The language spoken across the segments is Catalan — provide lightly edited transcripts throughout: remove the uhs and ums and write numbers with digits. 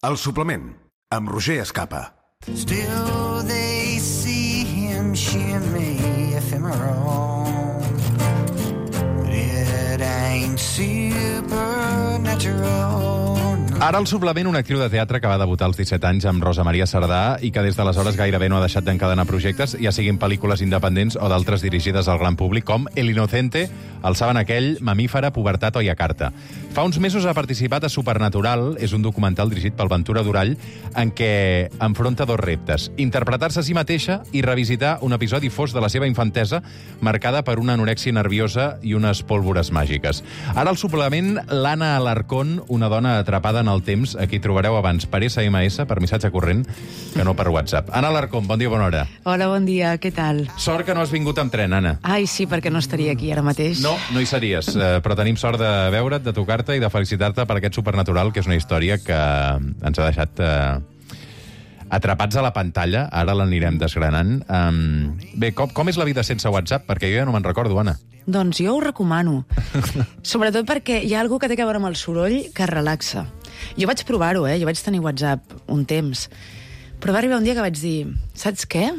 El suplement, amb Roger Escapa. Still they see him shimmy ephemeral. It ain't supernatural. Ara al suplement, una actriu de teatre que va debutar als 17 anys amb Rosa Maria Sardà i que des d'aleshores gairebé no ha deixat d'encadenar projectes, ja siguin pel·lícules independents o d'altres dirigides al gran públic, com El Inocente, El Saben aquell, Mamífera, Pubertat o Yakarta. Fa uns mesos ha participat a Supernatural, és un documental dirigit pel Ventura Durall, en què enfronta dos reptes: interpretar-se a si mateixa i revisitar un episodi fosc de la seva infantesa marcada per una anorèxia nerviosa i unes pólvores màgiques. Ara al suplement, l'Anna Alarcón, una dona atrapada en el temps, a qui trobareu abans per SMS, per missatge corrent, que no per WhatsApp. Anna Alarcón, bon dia, bona hora. Hola, bon dia, què tal? Sort que no has vingut amb tren, Anna. Ai, sí, perquè no estaria aquí ara mateix. No hi series, però tenim sort de veure't, de tocar-te i de felicitar-te per aquest Supernatural, que és una història que ens ha deixat atrapats a la pantalla. Ara l'anirem desgranant. Bé, com és la vida sense WhatsApp? Perquè jo ja no me'n recordo, Anna. Doncs jo ho recomano. Sobretot perquè hi ha algú que té a veure amb el soroll que relaxa. Jo vaig provar-ho, jo vaig tenir WhatsApp un temps. Però va arribar un dia que vaig dir, saps què?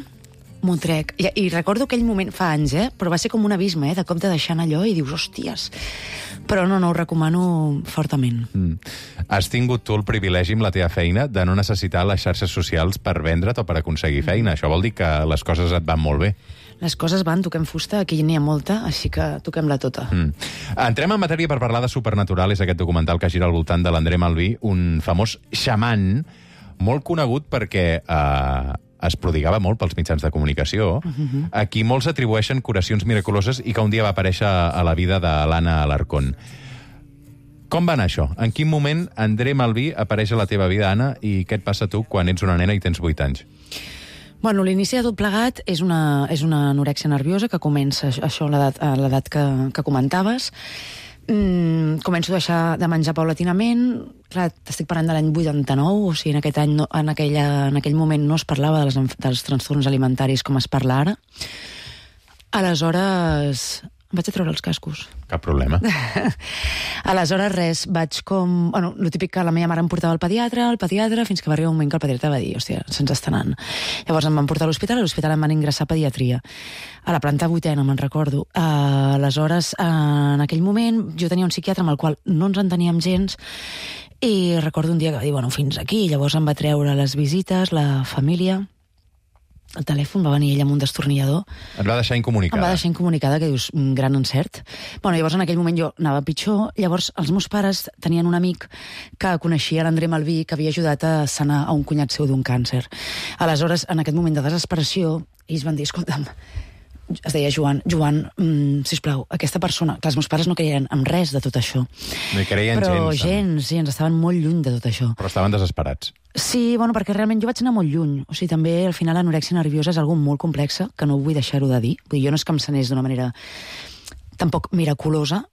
M'ho trec. I recordo aquell moment, fa anys, però va ser com un abisme, de cop de deixar allò i dius, hòsties. Però no, ho recomano fortament. Has tingut tu el privilegi amb la teva feina de no necessitar les xarxes socials per vendre't o per aconseguir feina. Això vol dir que les coses et van molt bé. Les coses van, toquem fusta, aquí n'hi ha molta, així que toquem-la tota. Entrem en matèria per parlar de Supernatural, és aquest documental que gira al voltant de l'André Malví, un famós xaman molt conegut perquè es prodigava molt pels mitjans de comunicació, a qui molts atribueixen curacions miraculoses i que un dia va aparèixer a la vida de l'Anna Alarcón. Com va anar això? En quin moment André Malví apareix a la teva vida, Anna, i què et passa a tu quan ets una nena i tens 8 anys? Bueno, l'inici de tot plegat és una anorèxia nerviosa que comença això a l'edat que comentaves. Començo a deixar de menjar paulatinament. Clar, t'estic parlant de l'any 89, o sigui, en aquell moment no es parlava dels trastorns alimentaris com es parla ara. Aleshores em vaig a treure els cascos. Cap problema. Aleshores, res, vaig com... Bueno, el típic que la meva mare em portava al pediatre, fins que va arribar un moment que el pediatre va dir, hòstia, se'ns està anant. Llavors em van portar a l'hospital em van ingressar a pediatria. A la planta 8ª, me'n recordo. Aleshores, en aquell moment, jo tenia un psiquiatre amb el qual no ens enteníem gens, i recordo un dia que va dir, bueno, fins aquí. Llavors em va treure les visites, la família. El telèfon, va venir ell amb un destornillador. Et va deixar incomunicada. Em va deixar incomunicada, que dius, un gran encert. Bueno, llavors en aquell moment jo anava pitjor. Llavors els meus pares tenien un amic que coneixia l'André Malví, que havia ajudat a sanar a un cunyat seu d'un càncer. Aleshores, en aquest moment de desesperació, ells van dir, escolta'm, es deia Joan, sisplau, aquesta persona... Clar, els meus pares no creien en res de tot això. No hi creien gens. Però gens, estaven molt lluny de tot això. Però estaven desesperats. Sí, bueno, perquè realment jo vaig anar molt lluny. O sigui, també, al final, l'anorèxia nerviosa és algo molt complexa, que no vull deixar-ho de dir. Vull dir, jo no és que em sanés d'una manera tampoc miraculosa,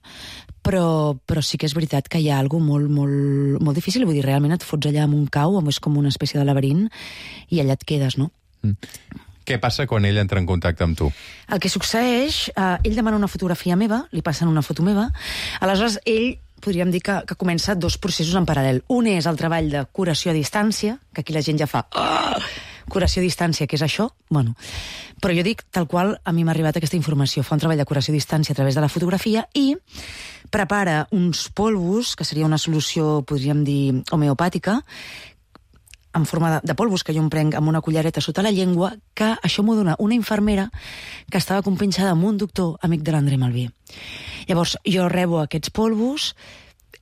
però sí que és veritat que hi ha algo molt, molt, molt difícil. Vull dir, realment et fots allà amb un cau, és com una espècie de laberint, i allà et quedes, no? Què passa quan ell entra en contacte amb tu? El que succeeix, ell demana una fotografia meva, li passen una foto meva, aleshores ell, podríem dir que comença dos processos en paral·lel. Un és el treball de curació a distància, que aquí la gent ja fa curació a distància, què és això? Bueno, però jo dic tal qual a mi m'ha arribat aquesta informació. Fa un treball de curació a distància a través de la fotografia i prepara uns polvos, que seria una solució, podríem dir, homeopàtica, en forma de polvos que jo em prenc amb una cullereta sota la llengua, que això m'ho dona una infermera que estava compinxada amb un doctor amic de l'André Malví. Llavors, jo rebo aquests polvos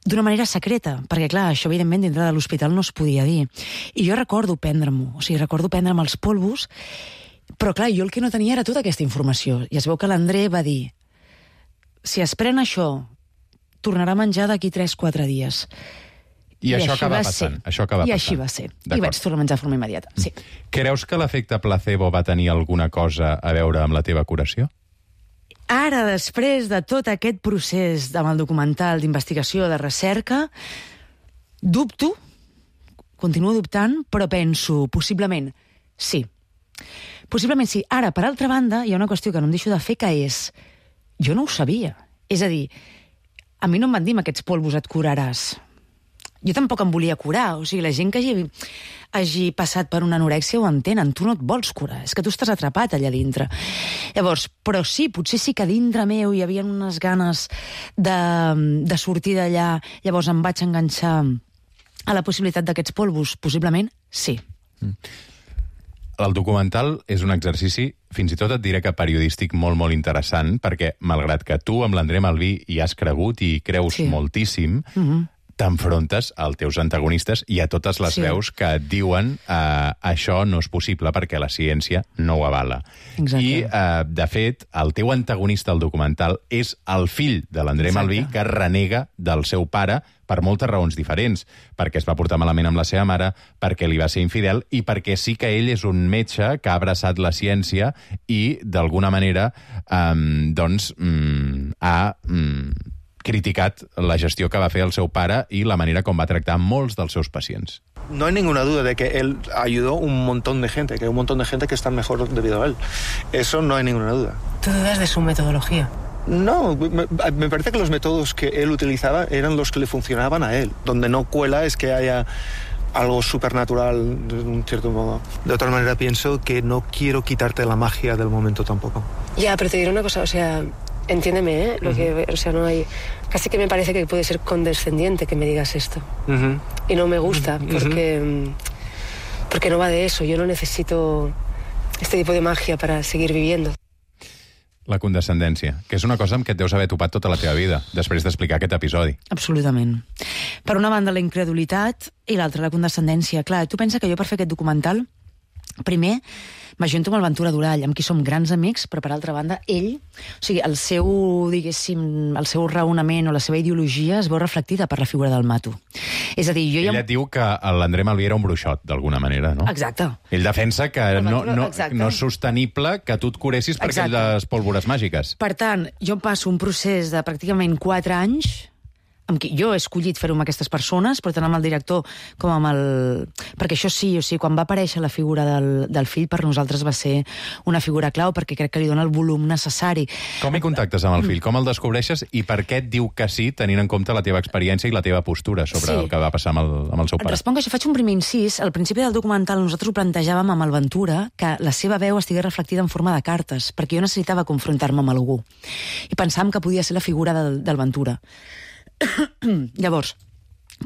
d'una manera secreta, perquè, clar, això, evidentment, dintre de l'hospital no es podia dir. I jo recordo prendre-m'ho, o sigui, recordo prendre'm els polvos, però, clar, jo el que no tenia era tota aquesta informació. I es veu que l'André va dir, si es pren això, tornarà a menjar d'aquí 3-4 dies. I això acaba passant. I així va ser. I vaig tornar a menjar de forma immediata, sí. Creus que l'efecte placebo va tenir alguna cosa a veure amb la teva curació? Ara, després de tot aquest procés amb el documental d'investigació, de recerca, dubto, continuo dubtant, però penso, possiblement, sí. Possiblement sí. Ara, per altra banda, hi ha una qüestió que no em deixo de fer, que és, jo no ho sabia. És a dir, a mi no em van dir, amb aquests polvos et curaràs. Jo tampoc em volia curar. O sigui, la gent que hagi passat per una anorèxia ho entenen. Tu no et vols curar, és que tu estàs atrapat allà dintre. Llavors, però sí, potser sí que dintre meu hi havia unes ganes de sortir d'allà. Llavors em vaig enganxar a la possibilitat d'aquests polvos. Possiblement, sí. El documental és un exercici, fins i tot et diré que periodístic molt, molt interessant, perquè, malgrat que tu amb l'André Malví hi has cregut i creus moltíssim, t'enfrontes als teus antagonistes i a totes les veus que et diuen això no és possible perquè la ciència no ho avala. Exacte. I, de fet, el teu antagonista al documental és el fill de l'André Malví, que renega del seu pare per moltes raons diferents, perquè es va portar malament amb la seva mare, perquè li va ser infidel i perquè sí que ell és un metge que ha abraçat la ciència i, d'alguna manera, ha criticat la gestió que va fer el seu pare i la manera com va tractar molts dels seus pacients. No hay ninguna duda de que él ayudó un montón de gente, que hay un montón de gente que está mejor debido a él. Eso no hay ninguna duda. ¿Tú dudas de su metodología? No, me parece que los métodos que él utilizaba eran los que le funcionaban a él. Donde no cuela es que haya algo supernatural de un cierto modo. De otra manera pienso que no quiero quitarte la magia del momento tampoco. Ya, pero te diré una cosa, o sea, entiéndeme, ¿eh? O sea, no hay... Casi que me parece que puede ser condescendiente que me digas esto. Y no me gusta, porque no va de eso. Yo no necesito este tipo de magia para seguir viviendo. La condescendència, que és una cosa amb què et deus haver topat tota la teva vida, després d'explicar aquest episodi. Absolutament. Per una banda, la incredulitat i l'altra, la condescendència. Clar, tu pensa que jo per fer aquest documental, primer, m'ajunto amb el Ventura Durall, amb qui som grans amics, però per altra banda, ell, o sigui, el seu, diguéssim, el seu raonament o la seva ideologia es veu reflectida per la figura del Mato. És a dir, jo Ell et diu que l'André Malví era un bruixot, d'alguna manera, no? Exacte. Ell defensa que no és sostenible que tu et curessis per aquelles pólvores màgiques. Per tant, jo passo un procés de pràcticament 4 anys amb qui jo he escollit fer-ho amb aquestes persones, però tant amb el director com amb el... Perquè això sí, o sigui, quan va aparèixer la figura del fill, per nosaltres va ser una figura clau, perquè crec que li dona el volum necessari. Com hi contactes amb el fill? Com el descobreixes? I per què et diu que sí, tenint en compte la teva experiència i la teva postura sobre el que va passar amb el seu pare? Et responc que això faig un primer incís. Al principi del documental nosaltres ho plantejàvem amb el Ventura, que la seva veu estigués reflectida en forma de cartes, perquè jo necessitava confrontar-me amb algú. I pensàvem que podia ser la figura del Ventura. Llavors,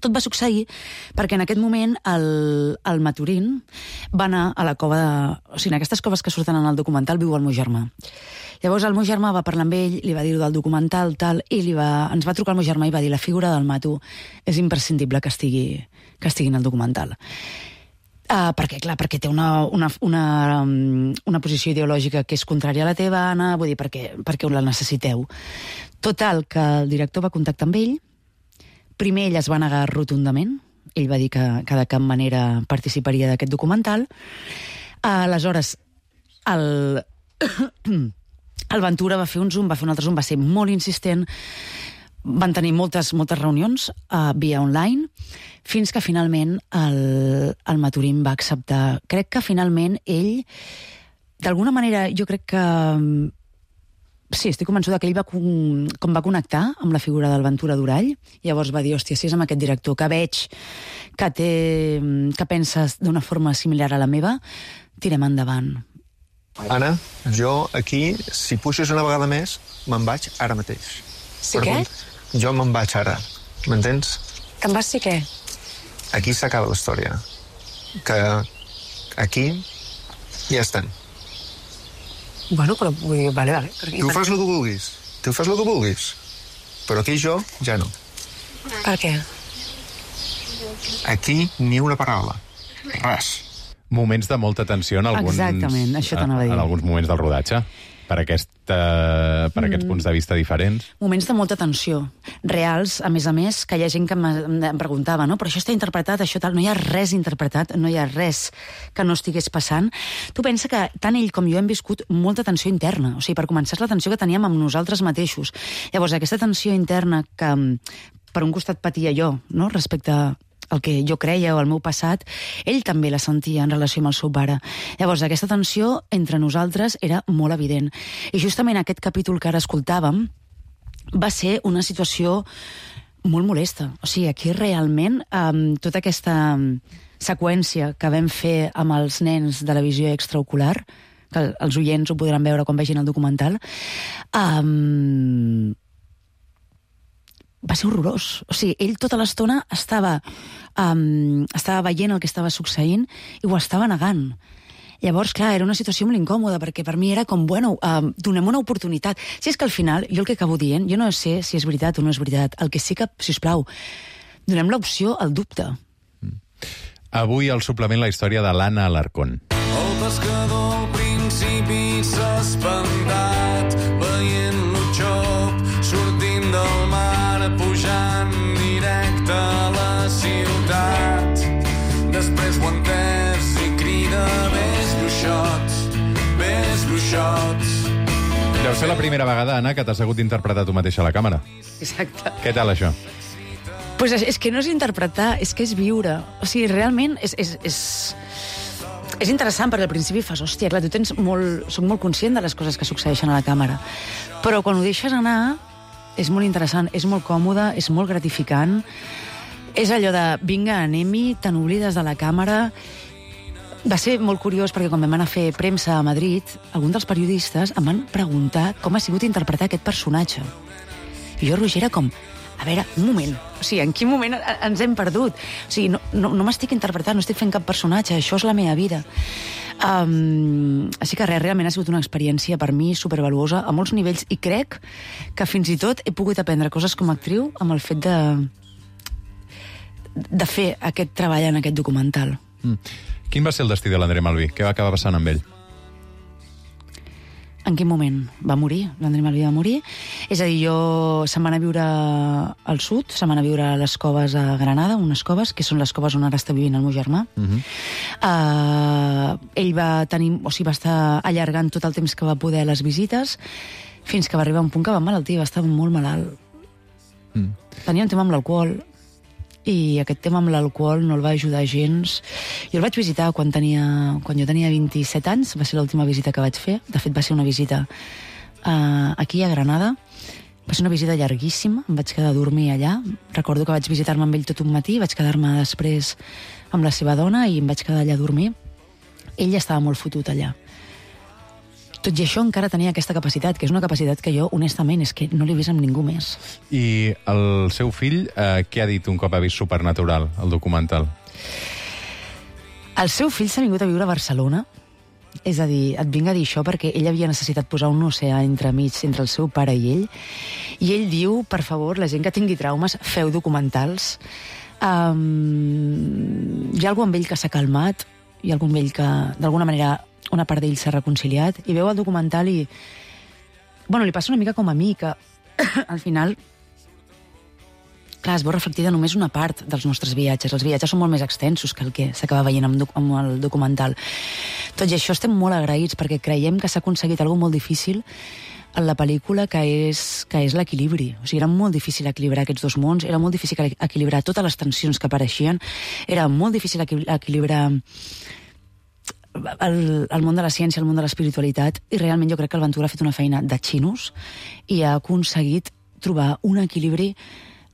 tot va succeir perquè en aquest moment el Maturín va anar a la cova de... O sigui, en aquestes coves que surten en el documental viu el meu germà. Llavors el meu germà va parlar amb ell, li va dir-ho del documental, tal, i ens va trucar el meu germà i va dir la figura del Mato és imprescindible que estigui en el documental. Perquè, clar, perquè té una posició ideològica que és contrària a la teva, Anna, vull dir, perquè la necessiteu. Total, que el director va contactar amb ell. Primer ell es va negar rotundament. Ell va dir que de cap manera participaria d'aquest documental. Aleshores, el Ventura va fer un Zoom, va fer un altre Zoom, va ser molt insistent. Van tenir moltes reunions via online, fins que finalment el Maturín va acceptar. Crec que finalment ell, d'alguna manera, jo crec que... Sí, estic convençuda que ell com va connectar amb la figura del Ventura Durall, llavors va dir, hòstia, si és amb aquest director que veig que penses d'una forma similar a la meva, tirem endavant. Anna, jo aquí, si puixes una vegada més, me'n vaig ara mateix. Sí, què? Jo me'n vaig ara, m'entens? Te'n vas sí què? Aquí s'acaba la història. Que aquí ja estem. Bueno, però vale. Tu fas el que vulguis. Però aquí jo ja no. Per què? Aquí ni una paraula. Res. Moments de molta tensió en alguns... Exactament, això t'anava a dir. En alguns moments del rodatge, per aquests punts de vista diferents. Moments de molta tensió, reals, a més, que hi ha gent que em preguntava, no? Però això està interpretat, això tal, no hi ha res interpretat, no hi ha res que no estigués passant. Tu pensa que tant ell com jo hem viscut molta tensió interna, o sigui, per començar la tensió que teníem amb nosaltres mateixos. Llavors, aquesta tensió interna que per un costat patia jo, no?, respecte a el que jo creia o el meu passat, ell també la sentia en relació amb el seu pare. Llavors, aquesta tensió entre nosaltres era molt evident. I justament aquest capítol que ara escoltàvem va ser una situació molt molesta. O sigui, aquí realment tota aquesta seqüència que vam fer amb els nens de la visió extraocular, que els oients ho podran veure quan vegin el documental, va ser horrorós. O sigui, ell tota l'estona estava veient el que estava succeint i ho estava negant. Llavors, clar, era una situació molt incòmoda, perquè per mi era com, bueno, donem una oportunitat. Si és que al final, jo el que acabo dient, jo no sé si és veritat o no és veritat. El que sí que, sisplau, donem l'opció al dubte. Avui al suplement la història de l'Anna Alarcón. El pescador al principi s'ha espantat veient l'Utxop sortint del mar pujant directe a la ciutat. Després ho ha entès i crida ves bruixots. Deu ser la primera vegada, Anna, que t'has hagut d'interpretar tu mateixa a la càmera. Exacte. Què tal, això? Pues és que no és interpretar, és que és viure. O sigui, realment és interessant, perquè al principi fas, hòstia, clar, soc molt conscient de les coses que succeeixen a la càmera. Però quan ho deixes anar, és molt interessant, és molt còmode, és molt gratificant. És allò de, vinga, anem-hi, te n'oblides de la càmera. Va ser molt curiós, perquè quan vam anar a fer premsa a Madrid, alguns dels periodistes em van preguntar com ha sigut interpretar aquest personatge. I jo, Roger, era com, a veure, un moment, o sigui, en quin moment ens hem perdut? O sigui, no m'estic interpretant, no estic fent cap personatge, això és la meva vida. Així que realment ha sigut una experiència per mi supervaluosa a molts nivells, i crec que fins i tot he pogut aprendre coses com a actriu amb el fet de fer aquest treball en aquest documental. Quin va ser el destí de l'André Malví? Què va acabar passant amb ell? En quin moment va morir? L'André Malví va morir. És a dir, se'n va anar a viure al sud, se'n va anar a viure a les coves a Granada, unes coves, que són les coves on ara està vivint el meu germà. Ell va estar allargant tot el temps que va poder les visites, fins que va arribar a un punt que va emmalaltir, va estar molt malalt. Tenia un tema amb l'alcohol, i aquest tema amb l'alcohol no el va ajudar gens. Jo el vaig visitar quan jo tenia 27 anys, va ser l'última visita que vaig fer. De fet, va ser una visita aquí a Granada. Va ser una visita llarguíssima, em vaig quedar a dormir allà. Recordo que vaig visitar-me amb ell tot un matí, vaig quedar-me després amb la seva dona i em vaig quedar allà a dormir. Ell ja estava molt fotut allà. Tot i això encara tenia aquesta capacitat, que és una capacitat que jo, honestament, és que no l'he vist amb ningú més. I el seu fill, què ha dit un cop ha vist Supernatural, el documental? El seu fill s'ha vingut a viure a Barcelona. És a dir, et vinc a dir això perquè ell havia necessitat posar un oceà entremig entre el seu pare i ell. I ell diu, per favor, la gent que tingui traumes, feu documentals. Hi ha algú amb ell que s'ha calmat, hi ha algú amb ell que, d'alguna manera, una part d'ell s'ha reconciliat, i veu el documental i... Bueno, li passa una mica com a mi, que al final... Clar, es veu reflectida només una part dels nostres viatges. Els viatges són molt més extensos que el que s'acaba veient amb el documental. Tot i això estem molt agraïts, perquè creiem que s'ha aconseguit alguna molt difícil en la pel·lícula, que és l'equilibri. O sigui, era molt difícil equilibrar aquests dos mons, era molt difícil equilibrar totes les tensions que apareixien, era molt difícil equilibrar el món de la ciència, el món de l'espiritualitat, i realment jo crec que el Ventura ha fet una feina de xinos i ha aconseguit trobar un equilibri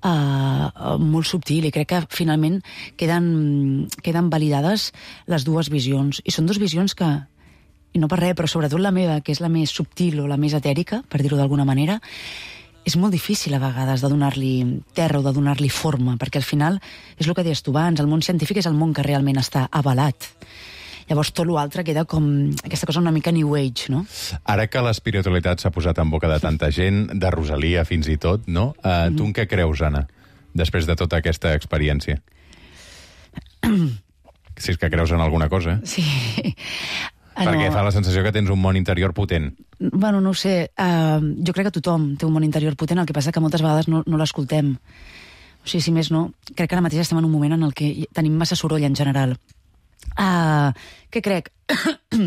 molt subtil, i crec que finalment queden validades les dues visions, i són dues visions que, i no per res, però sobretot la meva, que és la més subtil o la més etèrica, per dir-ho d'alguna manera, és molt difícil a vegades de donar-li terra o de donar-li forma, perquè al final és el que deies tu abans, el món científic és el món que realment està avalat. Llavors tot l'altre queda com aquesta cosa una mica New Age, no? Ara que l'espiritualitat s'ha posat en boca de tanta gent, de Rosalia fins i tot, no? Tu en què creus, Anna, després de tota aquesta experiència? Si és que creus en alguna cosa. Sí. Perquè fa la sensació que tens un món interior potent. Bueno, no ho sé. Jo crec que tothom té un món interior potent, el que passa que moltes vegades no l'escoltem. O sigui, si més no, crec que ara mateix estem en un moment en el que tenim massa soroll en general. Què crec?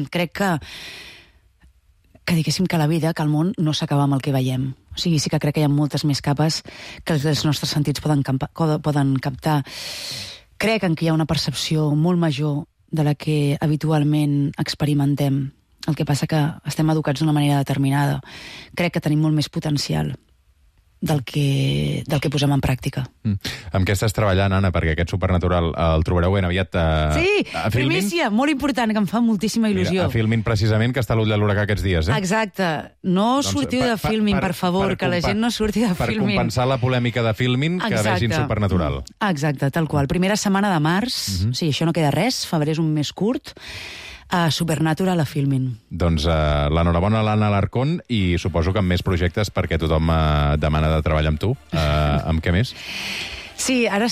Crec que diguéssim que la vida, que el món no s'acaba amb el que veiem. O sigui, sí que crec que hi ha moltes més capes que els nostres sentits poden captar. Crec que hi ha una percepció molt major de la que habitualment experimentem. El que passa que estem educats d'una manera determinada. Crec que tenim molt més potencial. del que posem en pràctica. Amb què estàs treballant, Anna? Perquè aquest Supernatural el trobareu ben aviat Sí, a Filmin. primícia, molt important, que em fa moltíssima il·lusió. Mira, a Filmin, precisament, que està a l'ull de l'huracà aquests dies, eh? Exacte. No sortiu de Filmin, per favor, que la gent no surti de Per Filmin. compensar la polèmica de Filmin, que vegin Supernatural. Exacte, tal qual. Primera setmana de març, sí, això no queda res, febrer és un mes curt, a Supernatural a Filmin. Doncs l'enhorabona a l'Anna Alarcón i suposo que amb més projectes perquè tothom demana de treballar amb tu. Amb què més? Sí, ara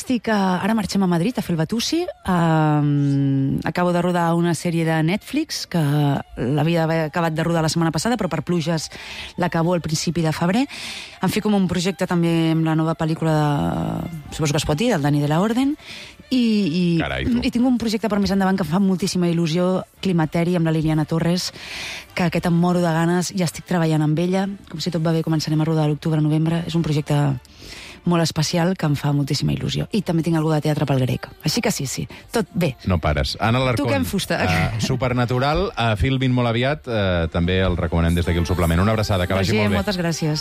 marxem a Madrid a fer el Batusi. Acabo de rodar una sèrie de Netflix que l'havia d'haver acabat de rodar la setmana passada, però per pluges l'acabo al principi de febrer. Em fico en un projecte també amb la nova pel·lícula suposo que es pot dir, del Dani de la Orden, i tinc un projecte per més endavant que em fa moltíssima il·lusió, Climateri, amb la Liliana Torres, que aquest em moro de ganes, ja estic treballant amb ella, com si tot va bé començarem a rodar a l'octubre-novembre. És un projecte molt especial que em fa moltíssima il·lusió. I també tinc alguna de teatre pel grec. Així que sí, tot bé. No pares. Anna Alarcón. Toquem fusta. Supernatural, a Filmin molt aviat, també el recomanem des d'aquí el suplement. Una abraçada, que vagi molt bé. Moltes gràcies.